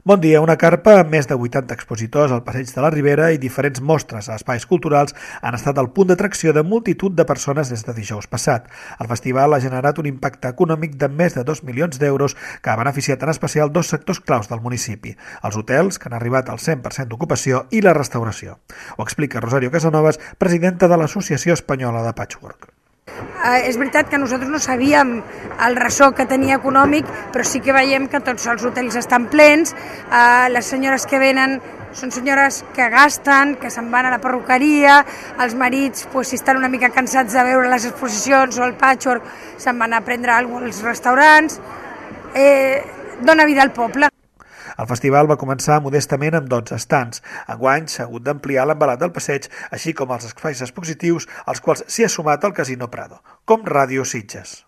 Bon dia, una carpa amb més de 80 expositors al Passeig de la Ribera i diferents mostres a espais culturals han estat el punt d'atracció de multitud de persones des de dijous passat. El festival ha generat un impacte econòmic de més de 2 milions d'euros que ha beneficiat en especial dos sectors claus del municipi, els hotels, que han arribat al 100% d'ocupació, i la restauració. Ho explica Rosario Casanovas, presidenta de l'Associació Espanyola de Patchwork. És veritat que nosaltres no sabíem el ressò que tenia econòmic, però sí que veiem que tots els hotels estan plens, les senyores que venen són senyores que gasten, que se'n van a la perruqueria, els marits, si estan una mica cansats de veure les exposicions o el patchwork, se'n van a prendre alguna cosa als restaurants, dona vida al poble. El festival va començar modestament amb 12 stands. Enguany s'ha hagut d'ampliar l'envelat del passeig, així com els espais expositius, als quals s'hi ha sumat el Casino Prado, com Ràdio Sitges.